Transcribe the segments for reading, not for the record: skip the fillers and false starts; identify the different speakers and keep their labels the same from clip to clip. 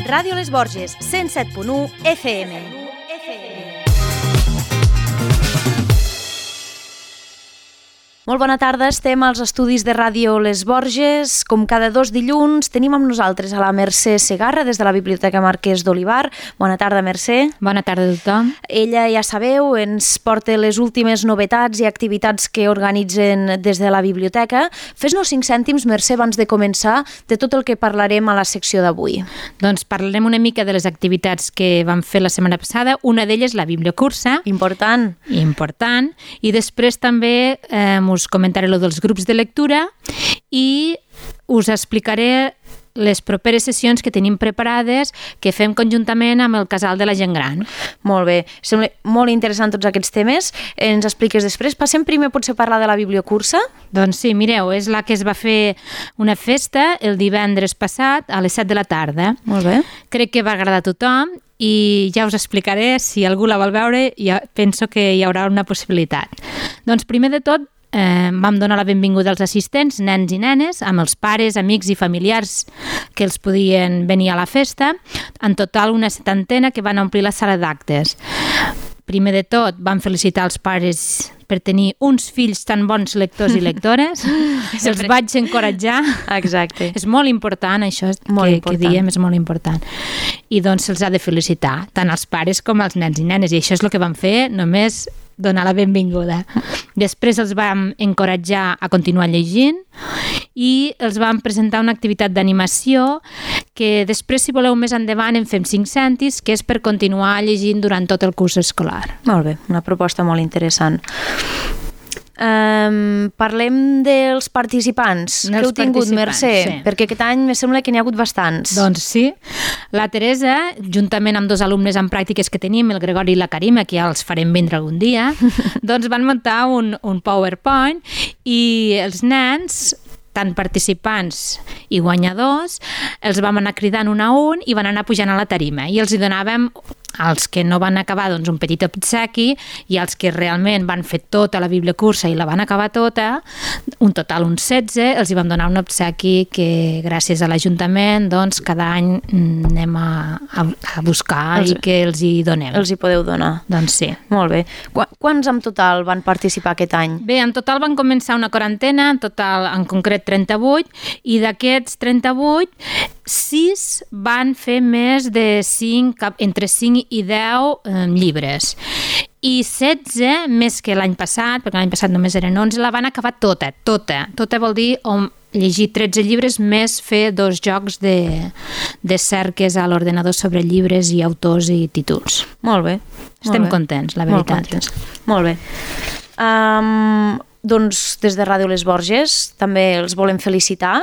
Speaker 1: Ràdio Les Borges, 107.1 FM. Molt bona tarda, estem als estudis de Ràdio Les Borges. Com cada 2 dilluns tenim amb nosaltres a la Mercè Segarra des de la Biblioteca Marquès d'Olivar. Bona tarda, Mercè.
Speaker 2: Bona tarda a tothom.
Speaker 1: Ella, ja sabeu, ens porta les últimes novetats i activitats que organitzen des de la biblioteca. Fes-nos 5 cèntims, Mercè, abans de començar, de tot el que parlarem a la secció d'avui.
Speaker 2: Doncs parlarem una mica de les activitats que vam fer la setmana passada. Una d'elles, la bibliocursa.
Speaker 1: Important.
Speaker 2: I després també us comentaré lo dels grups de lectura i us explicaré les properes sessions que tenim preparades que fem conjuntament amb el Casal de la Gent Gran.
Speaker 1: Molt bé, sembla molt interessant tots aquests temes. Ens expliques després. Passem primer potser a parlar de la bibliocursa?
Speaker 2: Doncs sí, mireu, és la que es va fer una festa el divendres passat a les 7 de la tarda.
Speaker 1: Molt bé.
Speaker 2: Crec que va agradar a tothom i ja us explicaré, si algú la vol veure, ja penso que hi haurà una possibilitat. Doncs primer de tot, vam donar la benvinguda als assistents, nens i nenes, amb els pares, amics i familiars que els podien venir a la festa. En total, una 70 que van omplir la sala d'actes. Primer de tot, vam felicitar els pares per tenir uns fills tan bons lectors i lectores. Els vaig encoratjar.
Speaker 1: Exacte.
Speaker 2: És molt important, això que diem, és molt important. I doncs se'ls ha de felicitar, tant als pares com als nens i nenes. I això és el que vam fer, només donar la benvinguda. Després els vam encoratjar a continuar llegint i els vam presentar una activitat d'animació que després, si voleu, més endavant en fem 5 cèntims, que és per continuar llegint durant tot el curs escolar.
Speaker 1: Molt bé, una proposta molt interessant. Parlem dels participants que heu tingut, Mercè, sí. Perquè aquest any me sembla que n'hi ha hagut bastants.
Speaker 2: Doncs sí, la Teresa, juntament amb 2 alumnes en pràctiques que tenim, el Gregori i la Karima, que ja els farem vindre algun dia, doncs van muntar un PowerPoint i els nens, tant participants i guanyadors, els vam anar cridant un a un i van anar pujant a la tarima i els hi donàvem, als que no van acabar, doncs, un petit obsequi, i als que realment van fer tota la bibliocursa i la van acabar tota, un total uns 16, els hi vam donar un obsequi que gràcies a l'Ajuntament doncs, cada any anem a buscar i que els hi donem.
Speaker 1: Els hi podeu donar.
Speaker 2: Doncs sí.
Speaker 1: Molt bé. Quants en total van participar aquest any?
Speaker 2: Bé, en total van començar una quarantena, en total en concret 38, i d'aquests 38, 6 van fer més de 5, entre 5 i 10 llibres. I 16, més que l'any passat, perquè l'any passat només eren 11, la van acabar tota. Tota vol dir llegir 13 llibres més fer 2 jocs de cerques a l'ordenador sobre llibres i autors i títols.
Speaker 1: Molt bé.
Speaker 2: Estem contents, la veritat.
Speaker 1: Molt bé. Doncs des de Ràdio Les Borges també els volem felicitar.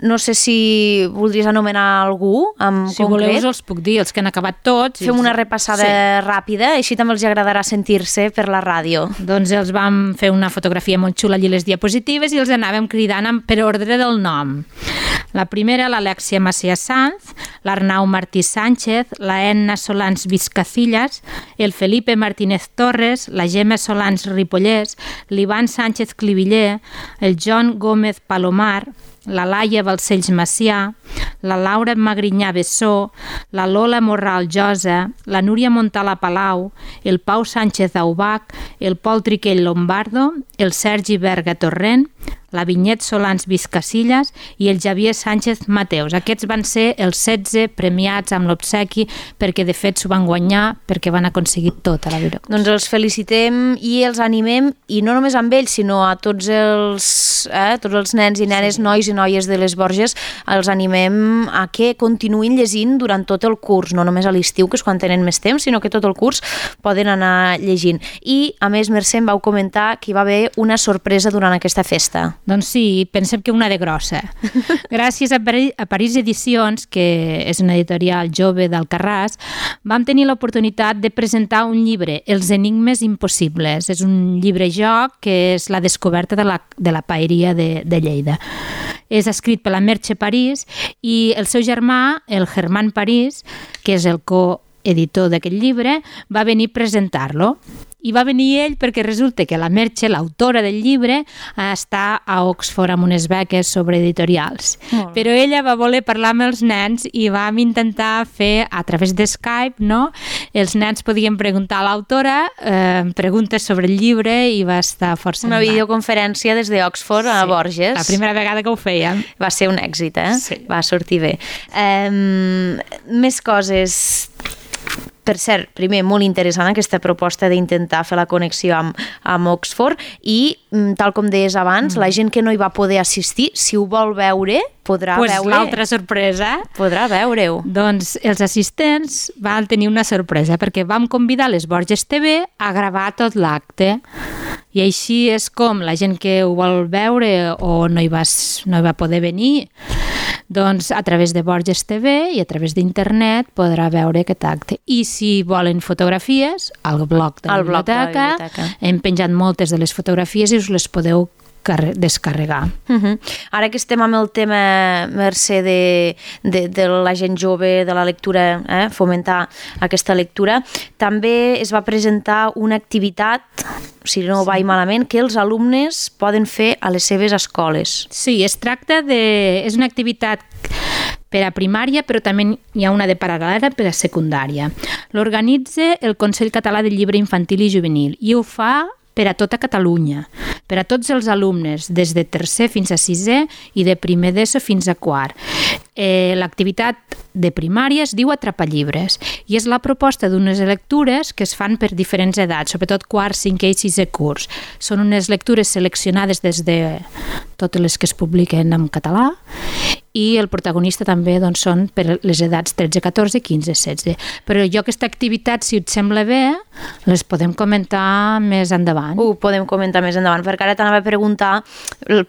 Speaker 1: No sé si voldries anomenar algú en concret.
Speaker 2: Si voleu els puc dir, els que han acabat tots.
Speaker 1: Fem una repassada ràpida, així també els agradarà sentir-se per la ràdio.
Speaker 2: Doncs els vam fer una fotografia molt xula allí les diapositives i els anàvem cridant per ordre del nom. La primera, l'Alexia Macià Sanz, l'Arnau Martí Sánchez, la Enna Solans Vizcacillas, el Felipe Martínez Torres, la Gemma Solans Ripollès, l'Ivan Sánchez Cliviller, el John Gómez Palomar, la Laia Balcells Macià, la Laura Magrinyà Bessó, la Lola Morral Josa, la Núria Montala Palau, el Pau Sánchez Aubac, el Pol Triquell Lombardo, el Sergi Berga Torrent, la Vinyet Solans Vizcasillas i el Javier Sánchez Mateus. Aquests van ser els 16 premiats amb l'obsequi perquè de fet s'ho van guanyar perquè van aconseguir tota la biblioteca.
Speaker 1: Doncs els felicitem i els animem, i no només amb ells, sinó a tots els nens i nenes, nois i noies de les Borges, els animem a que continuïn llegint durant tot el curs, no només a l'estiu, que és quan tenen més temps, sinó que tot el curs poden anar llegint. I, a més, Mercè em vau comentar que hi va haver una sorpresa durant aquesta festa.
Speaker 2: Doncs sí, pensem que una de grossa. Gràcies a París Edicions, que és una editorial jove d'Alcarràs, vam tenir l'oportunitat de presentar un llibre, Els enigmes impossibles. És un llibre-joc que és la descoberta de la paeria de Lleida. És escrit per la Merche París i el seu germà, el Germán París, que és el coeditor d'aquest llibre, va venir a presentar-lo. I va venir ell perquè resulta que la Merche, l'autora del llibre, està a Oxford amb unes beques sobre editorials. Però ella va voler parlar amb els nens i vam intentar fer, a través de Skype, no? Els nens podien preguntar a l'autora preguntes sobre el llibre i va estar força
Speaker 1: Una videoconferència des d'Oxford a Borges.
Speaker 2: La primera vegada que ho fèiem.
Speaker 1: Va ser un èxit,
Speaker 2: Sí.
Speaker 1: Va sortir bé. Més coses. Per cert, primer, molt interessant aquesta proposta d'intentar fer la connexió amb Oxford i, tal com deies abans, la gent que no hi va poder assistir, si ho vol veure, podrà veure...
Speaker 2: L'altra sorpresa...
Speaker 1: Podrà veure-ho.
Speaker 2: Doncs els assistents van tenir una sorpresa perquè vam convidar les Borges TV a gravar tot l'acte. I així és com la gent que ho vol veure o no hi va poder venir, doncs a través de Borges TV i a través d'internet podrà veure aquest acte. I si volen fotografies, al blog de la biblioteca hem penjat moltes de les fotografies i us les podeu descarregar.
Speaker 1: Ara que estem amb el tema, Mercè, de la gent jove, de la lectura, fomentar aquesta lectura, també es va presentar una activitat, si no vaig malament, que els alumnes poden fer a les seves escoles.
Speaker 2: Sí, es tracta de... És una activitat per a primària, però també hi ha una de paral·lela per a secundària. L'organitza el Consell Català del Llibre Infantil i Juvenil i ho fa per a tota Catalunya, per a tots els alumnes, des de tercer fins a sisè i de primer d'ESO fins a quart. L'activitat de primària es diu Atrapallibres i és la proposta d'unes lectures que es fan per diferents edats, sobretot quart, cinquè i sisè curs. Són unes lectures seleccionades des de totes les que es publiquen en català i el protagonista també doncs, són per les edats 13, 14, 15, 16. Però jo aquesta activitat, si et sembla bé, les podem comentar més endavant.
Speaker 1: Ho podem comentar més endavant, perquè ara t'anava a preguntar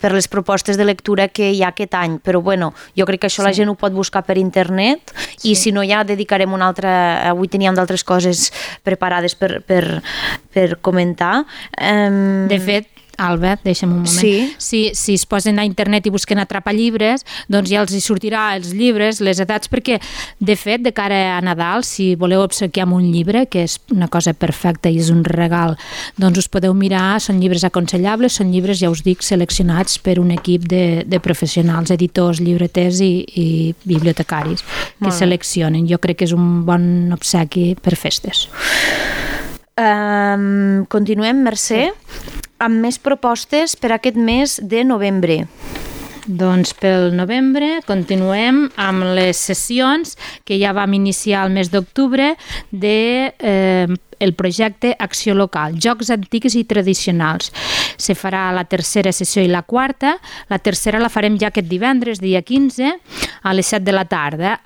Speaker 1: per les propostes de lectura que hi ha aquest any, però bueno, jo crec que això la gent ho pot buscar per internet i si no ja dedicarem una altra... Avui teníem d'altres coses preparades per comentar.
Speaker 2: De fet, Alba, deixa'm un moment. Si es posen a internet i busquen Atrapallibres, doncs ja els hi sortirà els llibres, les edats, perquè, de fet, de cara a Nadal, si voleu obsequiar amb un llibre, que és una cosa perfecta i és un regal, doncs us podeu mirar, són llibres aconsellables, són llibres, ja us dic, seleccionats per un equip de professionals, editors, llibreters i bibliotecaris que seleccionen. Jo crec que és un bon obsequi per festes.
Speaker 1: Continuem, Mercè, amb més propostes per aquest mes de novembre.
Speaker 2: Doncs pel novembre continuem amb les sessions que ja vam iniciar el mes d'octubre el projecte Acció Local, Jocs Antics i Tradicionals. Se farà la tercera sessió i la quarta. La tercera la farem ja aquest divendres, dia 15, a les 7 de la tarda,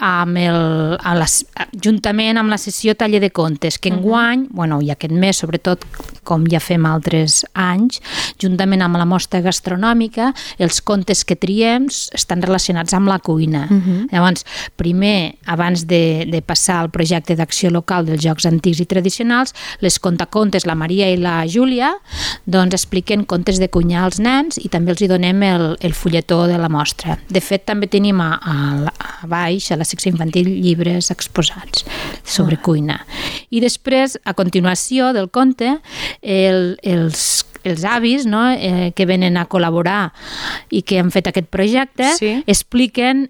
Speaker 2: juntament amb la sessió Taller de Contes, que enguany, i aquest mes, sobretot, com ja fem altres anys, juntament amb la mostra gastronòmica, els contes que triem estan relacionats amb la cuina. Llavors, primer, abans de passar al projecte d'Acció Local dels Jocs Antics i Tradicionals, les contacontes, la Maria i la Júlia, doncs expliquen contes de cuinar als nens i també els hi donem el fulletó de la mostra. De fet, també tenim a baix, a la secció infantil, llibres exposats sobre cuina. I després, a continuació del conte, els avis que venen a col·laborar i que han fet aquest projecte expliquen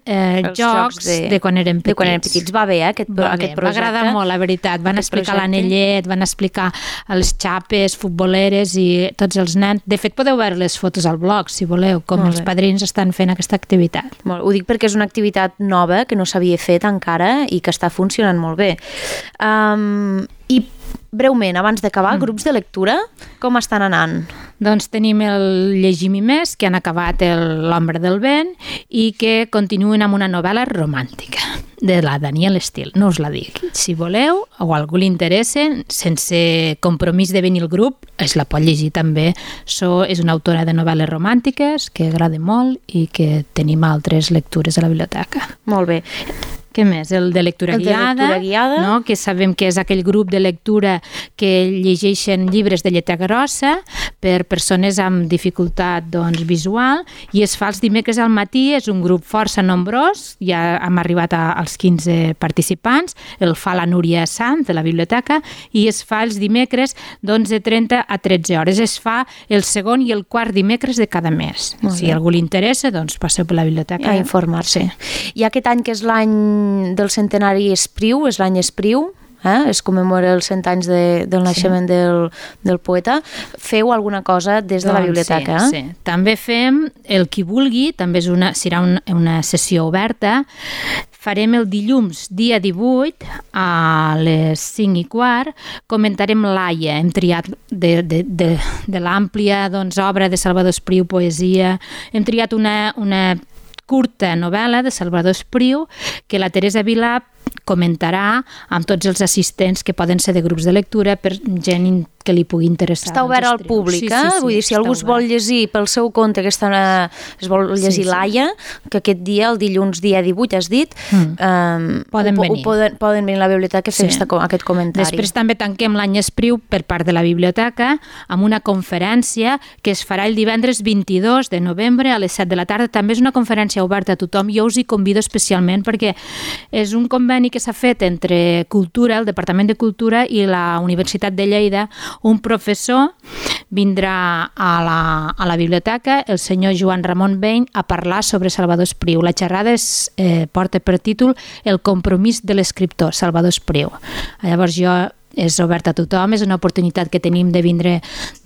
Speaker 2: jocs de quan eren petits.
Speaker 1: De quan eren petits. Va bé, aquest projecte.
Speaker 2: M'agrada molt, la veritat. Van explicar l'anellet, van explicar les xapes futboleres i tots els nens. De fet, podeu veure les fotos al blog, si voleu, com els padrins estan fent aquesta activitat.
Speaker 1: Ho dic perquè és una activitat nova que no s'havia fet encara i que està funcionant molt bé. I breument, abans d'acabar, grups de lectura, com estan anant?
Speaker 2: Doncs tenim el Llegim i més, que han acabat L'Ombra del vent i que continuen amb una novel·la romàntica de la Danielle Steele. No us la dic. Si voleu o a algú li interessa, sense compromís de venir al grup, es la pot llegir també. És una autora de novel·les romàntiques que agrada molt i que tenim altres lectures a la biblioteca.
Speaker 1: Molt bé.
Speaker 2: Què més? El de lectura guiada, no? Que sabem que és aquell grup de lectura que llegeixen llibres de lletra grossa per persones amb dificultat visual, i es fa els dimecres al matí, és un grup força nombrós, ja hem arribat als 15 participants, el fa la Núria Sant de la biblioteca, i es fa els dimecres d'11:30 a 13 hores. Es fa el segon i el quart dimecres de cada mes. Si a algú li interessa, doncs passeu per la biblioteca
Speaker 1: a informar-se. I aquest any, que és l'any del centenari Espriu, és l'any Espriu, es commemora els 100 anys del naixement del poeta, feu alguna cosa des de la biblioteca?
Speaker 2: Sí. També fem el qui vulgui, també serà una sessió oberta. Farem el dilluns, dia 18, a les 5:15, comentarem l'Aia. Hem triat de l'àmplia obra de Salvador Espriu, poesia. Hem triat una curta novel·la de Salvador Espriu que la Teresa Vilà comentarà amb tots els assistents que poden ser de grups de lectura per gent que li pugui interessar.
Speaker 1: Està obert al públic, Vull dir, si algú es vol llegir pel seu compte, es vol llegir l'Aia, que aquest dia, el dilluns dia 18, has dit,
Speaker 2: poden venir.
Speaker 1: Poden venir a la biblioteca a fer aquest comentari.
Speaker 2: Després també tanquem l'any Espriu per part de la biblioteca amb una conferència que es farà el divendres 22 de novembre a les 7 de la tarda. També és una conferència oberta a tothom. Jo us hi convido especialment perquè és un conveni que s'ha fet entre Cultura, el Departament de Cultura, i la Universitat de Lleida. Un professor vindrà a la biblioteca, el senyor Joan Ramon Beny, a parlar sobre Salvador Espriu. La xerrada porta per títol El compromís de l'escriptor, Salvador Espriu. Llavors és obert a tothom, és una oportunitat que tenim de vindre,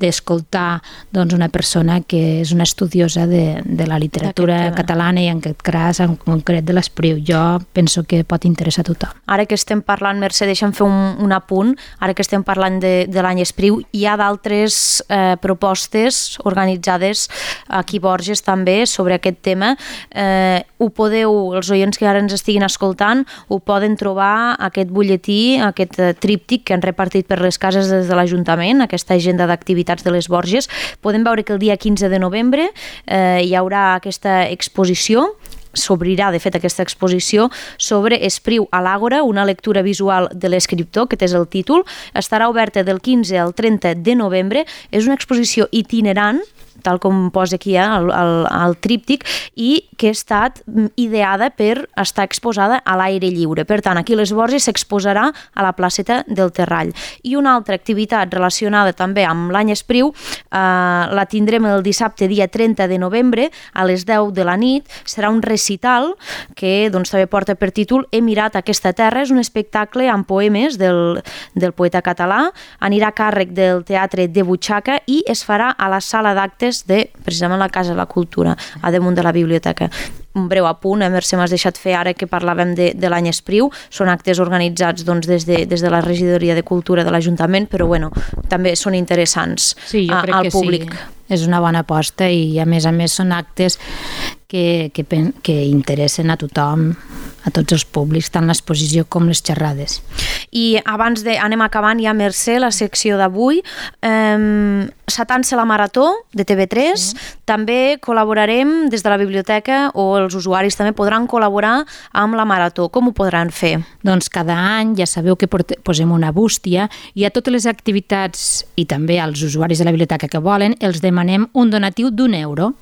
Speaker 2: d'escoltar una persona que és una estudiosa de la literatura catalana i en aquest cas en concret de l'Espriu. Jo penso que pot interessar a tothom.
Speaker 1: Ara que estem parlant, Mercè, deixa'm fer un apunt, ara que estem parlant de l'any Espriu, hi ha d'altres propostes organitzades aquí a Borges també sobre aquest tema. Ho podeu, els oients que ara ens estiguin escoltant, ho poden trobar, aquest butlletí, aquest tríptic que han repartit per les cases des de l'Ajuntament, aquesta agenda d'activitats de les Borges. Podem veure que el dia 15 de novembre hi haurà aquesta exposició, s'obrirà, de fet, aquesta exposició sobre Espriu a l'Àgora, una lectura visual de l'escriptor, que és el títol. Estarà oberta del 15 al 30 de novembre. És una exposició itinerant, tal com posa aquí al tríptic, i que ha estat ideada per estar exposada a l'aire lliure. Per tant, aquí a les Borges s'exposarà a la placeta del Terrall. I una altra activitat relacionada també amb l'any Espriu la tindrem el dissabte, dia 30 de novembre, a les 10 de la nit. Serà un recital que també porta per títol He mirat aquesta terra. És un espectacle amb poemes del poeta català. Anirà a càrrec del Teatre de Butxaca i es farà a la sala d'actes de, precisament, la Casa de la Cultura, a damunt de la biblioteca. Un breu apunt, Mercè, m'has deixat fer ara que parlàvem de l'any Espriu. Són actes organitzats des de la Regidoria de Cultura de l'Ajuntament, però també són interessants al públic.
Speaker 2: És una bona aposta i a més són actes que interessen a tothom, a tots els públics, tant l'exposició com les xerrades.
Speaker 1: I abans anem acabant ja, Mercè, la secció d'avui. S'atança la Marató de TV3, també col·laborarem des de la biblioteca, o els usuaris també podran col·laborar amb la Marató. Com ho podran fer?
Speaker 2: Doncs cada any ja sabeu que posem una bústia i a totes les activitats i també als usuaris de la biblioteca que volen els demanem un donatiu d'€1.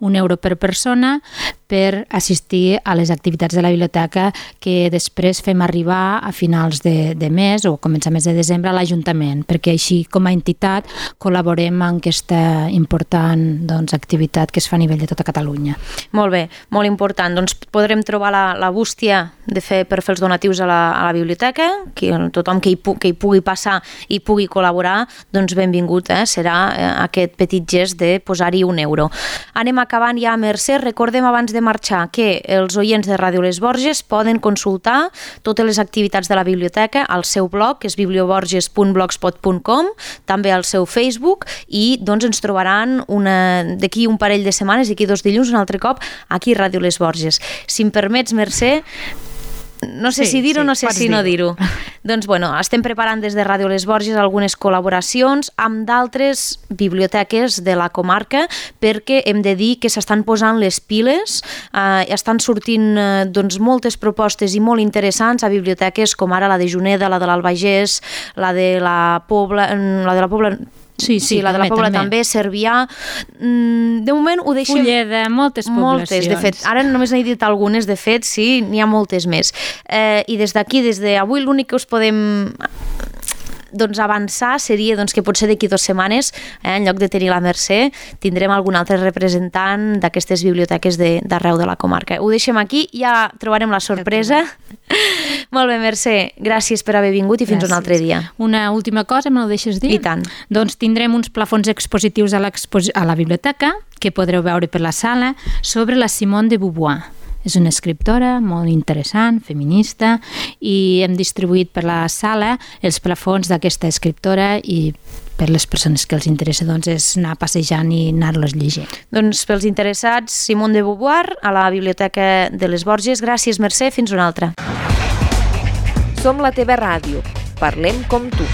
Speaker 2: €1 per persona per assistir a les activitats de la biblioteca que després fem arribar a finals de mes o començaments de desembre a l'Ajuntament, perquè així com a entitat col·laborem en aquesta important activitat que es fa a nivell de tota Catalunya.
Speaker 1: Molt bé, molt important. Doncs podrem trobar la bústia per fer els donatius a la biblioteca, tothom que hi pugui passar i pugui col·laborar, doncs benvingut serà aquest petit gest de posar-hi €1. Anem acabant ja, Mercè. Recordem abans de marxar que els oients de Ràdio Les Borges poden consultar totes les activitats de la biblioteca al seu blog, que és biblioborges.blogspot.com, també al seu Facebook, i doncs ens trobaran d'aquí un parell de setmanes, d'aquí 2 dilluns, un altre cop, aquí a Ràdio Les Borges. Si em permets, Mercè, no sé si dir-ho, no sé si no dir-ho. Doncs, estem preparant des de Ràdio Les Borges algunes col·laboracions amb d'altres biblioteques de la comarca, perquè hem de dir que s'estan posant les piles, estan sortint moltes propostes i molt interessants a biblioteques com ara la de Juneda, la de l'Albagés, la de la Pobla... Sí, la de la Pobla també, Cervià. De moment ho deixem...
Speaker 2: Fulleda, moltes poblacions.
Speaker 1: De fet. Ara només n'he dit algunes, de fet, sí, n'hi ha moltes més. I des d'aquí, des d'avui, l'únic que us podem avançar seria que potser d'aquí 2 setmanes, en lloc de tenir la Mercè, tindrem algun altre representant d'aquestes biblioteques d'arreu de la comarca. Ho deixem aquí, ja trobarem la sorpresa. Molt bé, Mercè, gràcies per haver vingut i fins un altre dia.
Speaker 2: Una última cosa, me la deixes dir?
Speaker 1: I tant.
Speaker 2: Doncs tindrem uns plafons expositius a la biblioteca, que podreu veure per la sala, sobre la Simone de Beauvoir. És una escriptora molt interessant, feminista, i hem distribuït per la sala els plafons d'aquesta escriptora i per les persones que els interessa és anar passejant i anar-los llegint.
Speaker 1: Doncs pels interessats, Simone de Beauvoir a la Biblioteca de les Borges. Gràcies, Mercè, fins una altra.
Speaker 3: Som la teva ràdio. Parlem com tu.